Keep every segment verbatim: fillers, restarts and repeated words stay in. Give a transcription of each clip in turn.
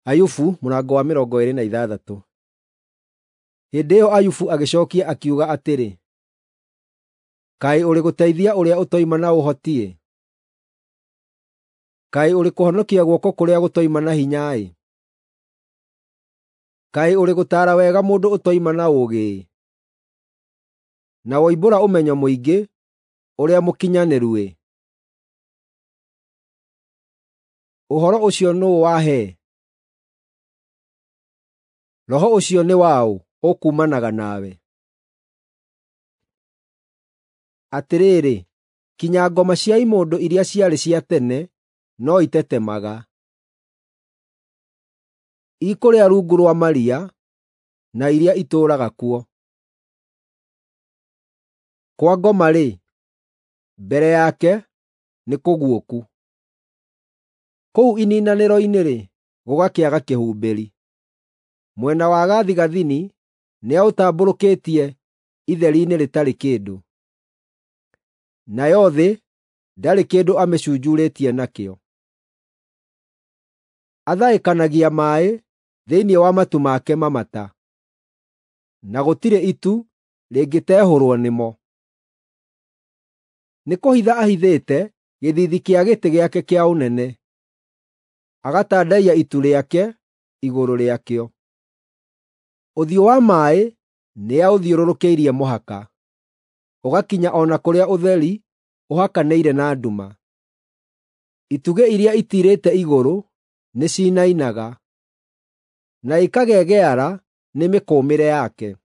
Ayubu mũrango wa mĩrongo ĩĩrĩ na ithathatũ. Hĩndĩ ĩyo Ayubu agĩcookia akiuga atĩrĩ, “Kaĩ ũrĩ gũteithia ũrĩa ũtoima na ũhoti-ĩ! Kaĩ ũrĩ kũhonokia guoko kũrĩa gũtoima na hinya-ĩ! Kaĩ ũrĩ gũtaara wega mũndũ ũtoima na ũũgĩ-ĩ! Na woimbũra ũmenyo mũingĩ ũrĩa mũkinyanĩru-ĩ! Ũhoro ũcio nũũ wahe? Roho ũcio nĩ wa ũ ũkuumanaga nawe? Atĩrĩrĩ, kinya ngoma cia imũndũ iria ciarĩ cia tene no itetemaga. Ikũrĩa rungu rwa maria, na iria itũũraga kuo. Kwa ngoma-rĩ, mbere yake nĩ kũguũku; kũu iniinanĩro-inĩ-rĩ, gũgakĩaga kĩhumbĩri. Mwena wa gathigathini nĩaũtambũrũkĩtie itheri-inĩ rĩtarĩ kĩndũ, nayo thĩ ndarĩ kĩndũ amĩcunjuurĩtie nakĩo. Athaĩkanagia maaĩ thĩinĩ wa matu make mamata, na gũtirĩ itu rĩngĩtehũrwo nĩmo. Nĩkũhitha ahithĩte gĩthiithi kĩa gĩtĩ gĩake kĩa ũnene, agatandaiya itu rĩake igũrũ rĩakĩo. Ũthiũ wa maaĩ nĩaũthiũrũrũkĩirie mũhaka, ũgakinya o na kũrĩa ũtheri ũhakanĩire na nduma. Itugĩ iria itiirĩte igũrũ nĩciinainaga, na ikagegeara nĩ mĩkũmĩre yake.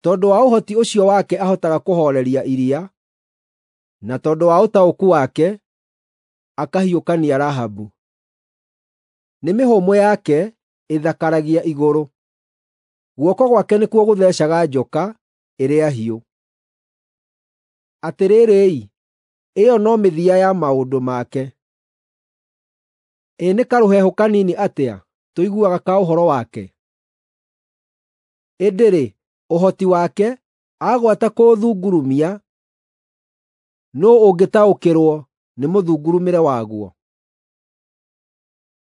Tondũ wa ũhoti ũcio wake ahotaga kũhooreria iria, na tondũ wa ũtaũku wake akahiũkania Rahabu. Nĩ mĩhũmũ yake ĩthakaragia igũrũ; guoko gwake nĩkuo gũtheecaga njoka ĩrĩa hiũ. Atĩrĩrĩ-i, ĩyo no mĩthia ya maũndũ make. Ĩ nĩ karũhehu kanini atĩa tũiguaga ka ũhoro wake! Ĩndĩ-rĩ, ũhoti wake, agwata kũũthungurumia, nũũ ũngĩtaũkĩrwo nĩ mũthungurumĩre waguo?